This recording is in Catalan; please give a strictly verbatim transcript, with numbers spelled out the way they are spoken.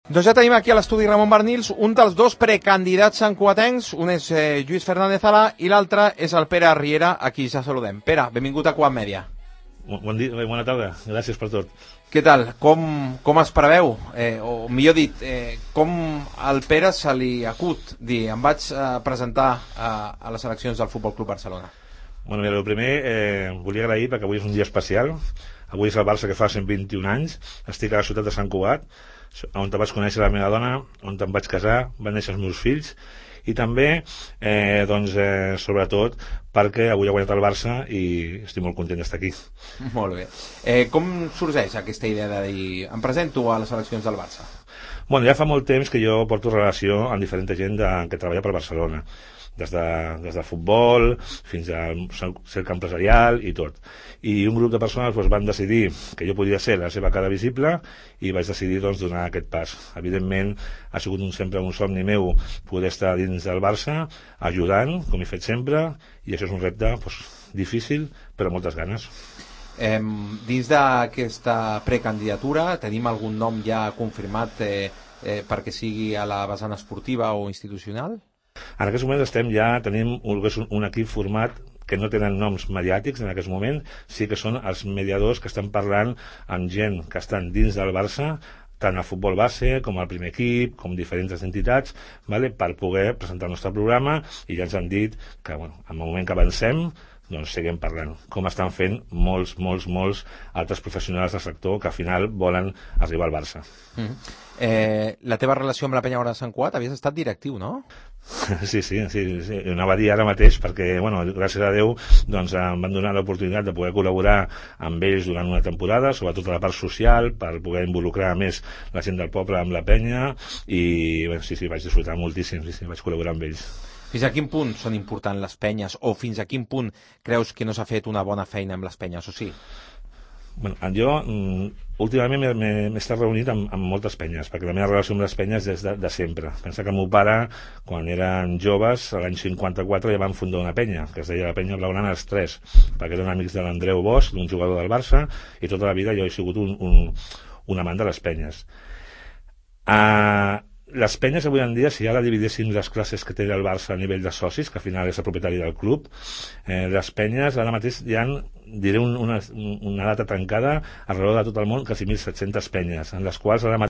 Doncs ja tenim aquí a l'estudi Ramon Barnils un dels dos precandidats santcugatencs, un és eh, Lluís Fernández Alà i l'altre és el Pere Riera, a qui ja saludem. Pere, benvingut a Quad Media. Bon dia, bona tarda, gràcies per tot. Què tal? Com, com es preveu? Eh, o millor dit, eh, com al Pere se li acut dir em vaig eh, presentar a, a les eleccions del Futbol Club Barcelona? Bueno, mira, el primer, eh, volia agrair perquè avui és un dia especial. Avui és el Barça que fa cent vint-i-un anys. Estic a la ciutat de Sant Cugat, on vaig conèixer la meva dona, on em vaig casar, van néixer els meus fills, i també, eh, doncs, eh, sobretot, perquè avui ha guanyat el Barça i estic molt content d'estar aquí. Molt bé. Eh, com sorgeix aquesta idea de dir em presento a les eleccions del Barça? Bueno, ja fa molt temps que jo porto relació amb diferent gent de, que treballa per Barcelona. Des de, des del futbol fins al cercle empresarial i tot. I un grup de persones doncs, van decidir que jo podia ser la seva cara visible i vaig decidir doncs, donar aquest pas. Evidentment, ha sigut un, sempre un somni meu poder estar dins del Barça, ajudant, com he fet sempre, i això és un repte doncs, difícil, però amb moltes ganes. Eh, dins d'aquesta precandidatura tenim algun nom ja confirmat eh, eh, perquè sigui a la vessant esportiva o institucional? En aquest moment estem ja, tenim un, un equip format que no tenen noms mediàtics en aquest moment, sí que són els mediadors que estan parlant amb gent que estan dins del Barça, tant al futbol base com al primer equip, com diferents entitats, vale, per poder presentar el nostre programa, i ja ens han dit que bueno, en el moment que avancem doncs seguim parlant, com estan fent molts, molts, molts altres professionals del sector que al final volen arribar al Barça. Mm-hmm. eh, la teva relació amb la Penya Groga de Sant Cugat, havies estat directiu, no? Sí, sí, sí, sí. Anava a dir ara mateix perquè, bueno, gràcies a Déu doncs, em van donar l'oportunitat de poder col·laborar amb ells durant una temporada, sobretot a la part social, per poder involucrar més la gent del poble amb la penya, i bueno, sí, sí, vaig disfrutar moltíssim, sí, sí, vaig col·laborar amb ells. Fins a quin punt són importants les penyes, o fins a quin punt creus que no s'ha fet una bona feina amb les penyes, o sí? Bueno, jo últimament m'he estat reunit amb, amb moltes penyes, perquè la meva relació amb les penyes és de, de sempre. Pensa que el meu pare, quan eren joves, l'any cinquanta-quatre ja van fundar una penya, que es deia la Penya Blaugrana els Tres, perquè eren amics de l'Andreu Bosch, d'un jugador del Barça, i tota la vida jo he sigut un, un, un amant de les penyes. Uh, les penyes avui en dia, si ara dividíssim les classes que té el Barça a nivell de socis, que al final és el propietari del club, eh, les penyes ara mateix hi ha, diré un, una, una data tancada arreu de tot el món, quasi mil set-centes penyes, en les quals ara mateix